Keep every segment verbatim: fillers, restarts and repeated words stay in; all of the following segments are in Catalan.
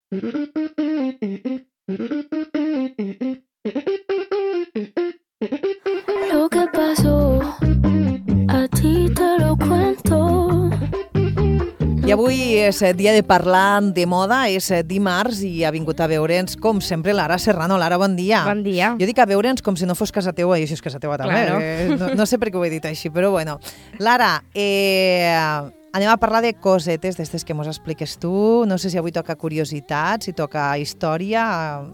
Lo que pasó, a ti te lo cuento. I avui és dia de parlar de moda, és dimarts i ha vingut a veure'ns, com sempre, Lara Serrano. Lara, bon dia. Bon dia. Jo dic a veure'ns com si no fos casa teua, i això és casa teua també. Claro. Eh, no, no sé per què ho he dit així, però bueno. Lara, eh, anem a parlar de cosetes d'estes que mos expliques tu. No sé si avui toca curiositats, si toca història.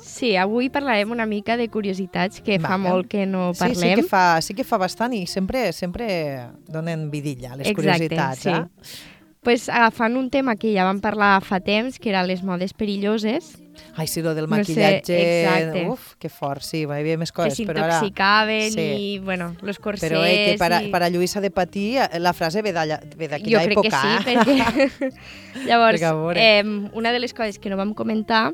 Sí, avui parlarem una mica de curiositats que Vale. fa molt que no Sí, parlem. sí que fa, sí que fa bastant i sempre, sempre donen vidilla les Exacte, curiositats. sí. Eh? Pues, agafant un tema que ja vam parlar fa temps, que eren les modes perilloses, Ai, sí, lo del No sé, maquillatge... exacte. Uf, que fort, sí, hi havia més que coses, però ara... s'intoxicaven sí. i, bueno, los corsets... Però eh, que per a, i... per a Lluïsa de patir, la frase ve d'allà- ve Jo d'aquella crec època. que sí, eh? perquè... Llavors, Perquè, a veure. eh, una de les coses que no vam comentar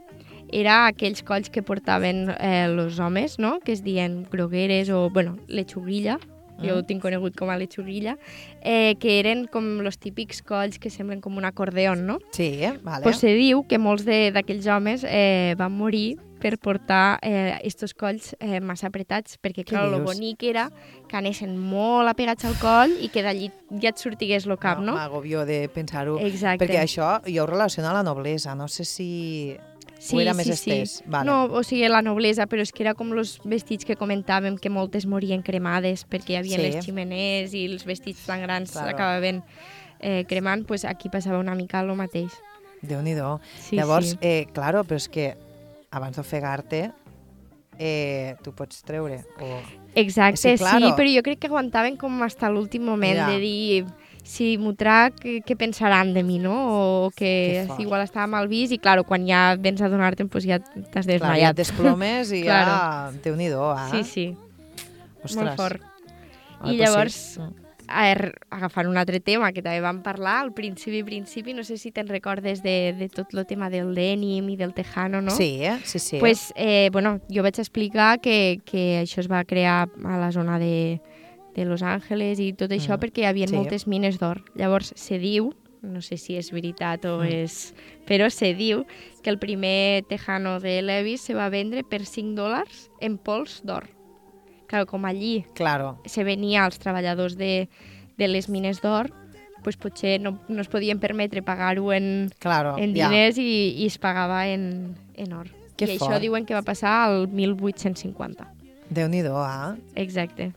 era aquells colls que portaven eh, els homes, no?, que es diuen grogueres o, bueno, lechuguilla, jo ho tinc conegut com a lechuguilla, eh, que eren com els típics colls que semblen com un acordeon, no? Sí, eh? Vale. Pues se diu que molts de- d'aquells homes eh, van morir per portar eh, estos colls eh, massa apretats, perquè, clar, el dius? bonic era que anessin molt apegats al coll i que d'allí ja et sortigués el cap, no? M'agobio de pensar-ho. Exacte. Perquè això jo ho relaciono a la noblesa. No sé si Sí, ho era més sí, estès. sí. Vale. No, o sigui, la noblesa, però és que era com els vestits que comentàvem, que moltes morien cremades perquè hi havia Sí. les ximeners i els vestits tan grans Claro. acabaven eh, cremant, pues aquí passava una mica el mateix. Déu-n'hi-do. Sí, Llavors, sí. eh, claro, però és que abans d'ofegar-te eh, tu pots treure. O... Exacte, Sí, claro. sí, però jo crec que aguantaven com fins a l'últim moment Ja. de dir si m'ho trac, què, què pensaran de mi, no? O Que que fort. si igual estava mal vist i, claro, quan ja vens a donar-te'n, pues ja t'has Clar, ja et desmaiat. desplomes i Claro. ja... Déu-n'hi-do, eh? Sí, sí, Ostres. molt fort. Ai, I però llavors, sí. a er, agafant un altre tema que també vam parlar, al principi, principi, no sé si te'n recordes de, de tot el tema del denim i del tejano, no? Sí, eh? Sí, sí. Pues, eh, bueno, jo vaig explicar que, que això es va crear a la zona de, de Los Angeles i tot això Mm, perquè hi havia sí. moltes mines d'or. Llavors, se diu, no sé si és veritat o Mm. és... Però se diu que el primer tejano de Levi's se va vendre per cinc dòlars en pols d'or. Clar, com allí Claro. se venia als treballadors de, de les mines d'or, pues potser no, no es podien permetre pagar-ho en, Claro, en ja. diners i, i es pagava en, en or. Que I fort. això diuen que va passar al mil vuit-cents cinquanta. Déu-n'hi-do, eh? Exacte.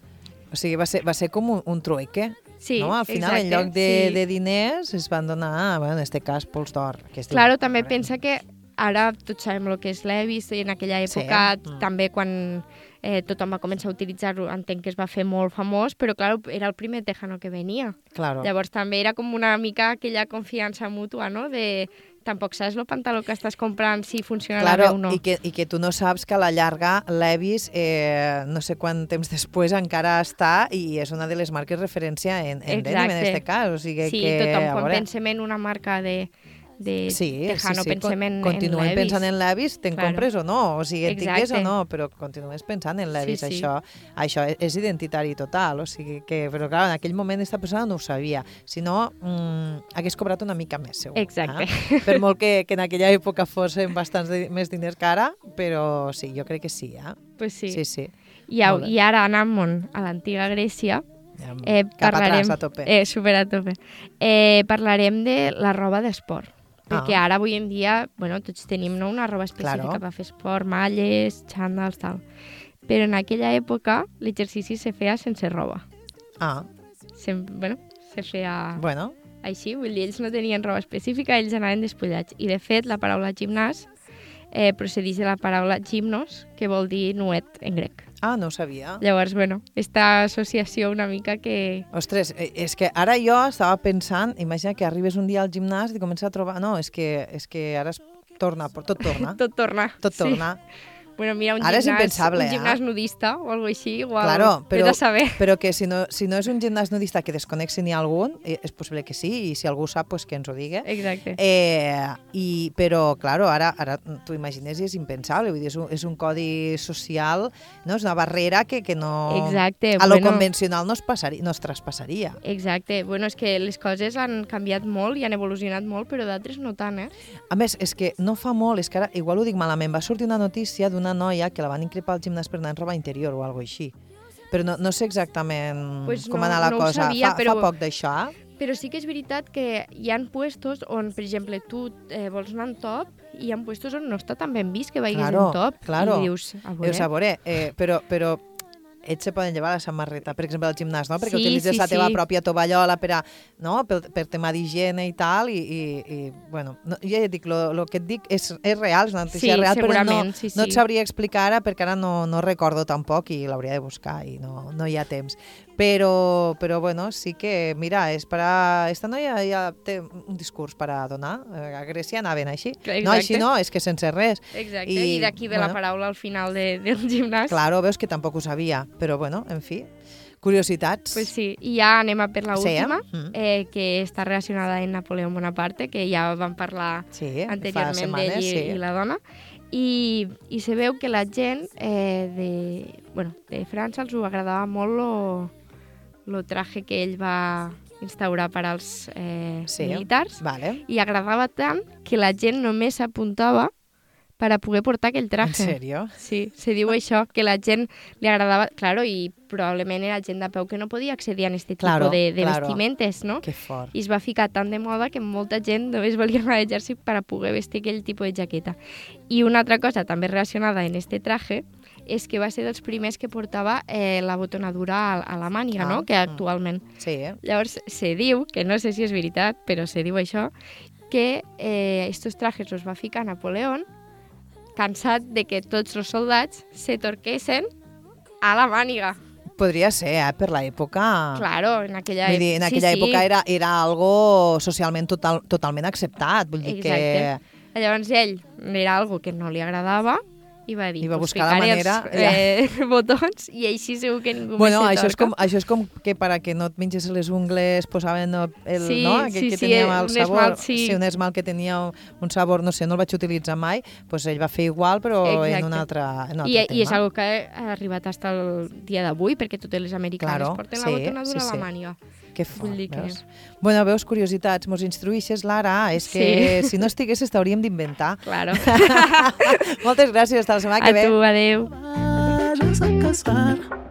O sigui, va ser, va ser com un, un trueque, Sí, no? Al final, exacte, en lloc de, sí. de diners, es van donar, bueno, en este cas, pols d'or. que es diu. Claro, també Veure. pensa que ara tots sabem el que és Levi's i en aquella Sí, època mm. també quan eh, tothom va començar a utilitzar-ho entenc que es va fer molt famós, però clar, era el primer tejano que venia. Claro. Llavors també era com una mica aquella confiança mútua, no? De tampoc saps el pantaló que estàs comprant si funcionarà bé Claro, o no. i que, i que tu no saps que a la llarga Levi's, eh, no sé quant temps després, encara està i és una de les marques referència en, en denim, en Exacte. este cas. O sigui Sí, que, tothom a quan veure, pensem en una marca de, de Sí, tejano sí, sí. pensem en, Continuem en Levi's. pensant en Levi's, te'n Claro. compres o no, o sigui, et tingués o Exacte. no, però continues pensant en Levi's. Sí, sí. Això, això és identitari total, o sigui que, però clar, en aquell moment aquesta persona no ho sabia, si no, mm, hagués cobrat una mica més, segur. Exacte. Eh? Per molt que, que en aquella època fossin bastants de, més diners que ara, però sí, jo crec que sí, eh? Pues sí. Sí, sí. I, au, Molt bé. I ara anant a l'antiga Grècia, Ja, eh, cap parlarem... atrás, a tope. Eh, super a tope. Eh, parlarem de la roba d'esport. Perquè Ah. ara, avui en dia, bueno, tots tenim no, una roba específica Claro. per fer esport, malles, xandals, tal. Però en aquella època l'exercici se feia sense roba. Ah, Se, bueno, se feia bueno, així, vull dir, ells no tenien roba específica, ells anaven despullats. I, de fet, la paraula gimnàs eh, procedeix de la paraula gimnos, que vol dir nuet en grec. ah, no ho sabia. Llavors, bueno, esta associació una mica que... Ostres, eh, és que ara jo estava pensant, imagina que arribes un dia al gimnàs i comences a trobar... No, és que, és que ara es torna, tot torna. Tot torna. Tot Sí. torna. Bueno, mira, un Ara és gimnàs, impensable, un gimnàs eh? nudista o algo així, igual. Claro, però, Vés a saber. però que si no, si no és un gimnàs nudista que desconec si n'hi ha algun, eh, és possible que sí, i si algú sap, pues que ens ho digui. Exacte. Eh, i, però, claro, ara, ara t'ho imagines i és impensable, vull dir, és un, és un codi social, no? És una barrera que, que no... Exacte, a lo bueno. convencional no es, passaria, no es traspassaria. Exacte. Bueno, és que les coses han canviat molt i han evolucionat molt, però d'altres no tant, eh? A més, és que no fa molt, és que ara, igual ho dic malament, va sortir una notícia d'una noia que la van increpar al gimnàs per anar en roba interior o alguna així. Però no, no sé exactament Pues com no, anar la no ho cosa. sabia, fa, però- fa poc d'això? Però sí que és veritat que hi ha puestos on, per exemple, tu eh, vols anar en top i hi ha puestos on no està tan ben vist que vagis Claro, en top. claro. I dius, a veure... Dius, a veure, eh, però, però ells se poden llevar la samarreta, per exemple, al gimnàs, no? Perquè Sí, utilitzes sí, la teva sí. pròpia tovallola per, a, no? per, per tema d'higiene i tal, i, i, i bueno, no, jo ja et dic, el que et dic és, és real, és una notícia Sí, real, però no, segurament, sí, no et sí. sabria explicar ara perquè ara no, no recordo tampoc i l'hauria de buscar i no, no hi ha temps. Però, però bueno, sí que, mira, és per a... Esta noia ja té un discurs per a donar. A Grècia anaven així. Exacte. No, així no, és que sense res. Exacte, I, i, d'aquí ve la bueno. paraula al final de, del gimnàs. Claro, veus que tampoc ho sabia, però bueno, en fi, curiositats. Pues sí, i ja anem a per la Sí, eh? última, Mm. eh, que està relacionada amb Napoleó Bonaparte, que ja vam parlar Sí, fa anteriorment setmanes, d'ell i, sí. i la dona. I, I se veu que la gent eh, de, bueno, de França els ho agradava molt lo, lo traje que ell va instaurar per als eh, Sí. militars, Vale. i agradava tant que la gent només s'apuntava per a poder portar aquell En traje. sèrio? Sí, se diu això, que la gent li agradava, claro, i probablement era gent de peu que no podia accedir a aquest Claro, tipus de, de claro. vestimentes, no? Que fort. I es va ficar tan de moda que molta gent només volia anar a l'exèrcit per a poder vestir aquell tipus de jaqueta. I una altra cosa també relacionada en este traje és que va ser dels primers que portava eh, la botonadura a, a la màniga, Ah, no? Que mm. actualment. Sí, eh? Llavors, se diu, que no sé si és veritat, però se diu això, que eh, estos trajes els va ficar Napoleón cansat de que tots els soldats se torquessin a la màniga. Podria ser, eh? Per l'època... Claro, en aquella, Vull dir, en sí, aquella sí. època era, era algo socialment total, totalment acceptat. Vull dir Exacte. que... Llavors ell era algo que no li agradava i va dir, I va pues buscar la ficaré manera, els eh, botons i així segur que ningú Bueno, més se això és, com, torca. això és com que per a que no et menges les ungles posaven el, Sí, no? Aquell sí, que sí, tenia un el sabor, esmalt, sí. un esmalt que tenia un, un sabor, no sé, no el vaig utilitzar mai, doncs ell va fer igual però Exacte. en un altre, en un altre I, tema. I és algo que ha arribat fins al dia d'avui, perquè totes les americanes Claro, porten sí, la botonadura sí, a sí. la màniga. Que fort, Vull dir que- veus? Bueno, veus, curiositats, mos instruïxes, Lara, és que Sí. si no estiguessis t'hauríem d'inventar. Claro. Moltes gràcies, fins la setmana A que ve. tu, adeu. Vayas a casar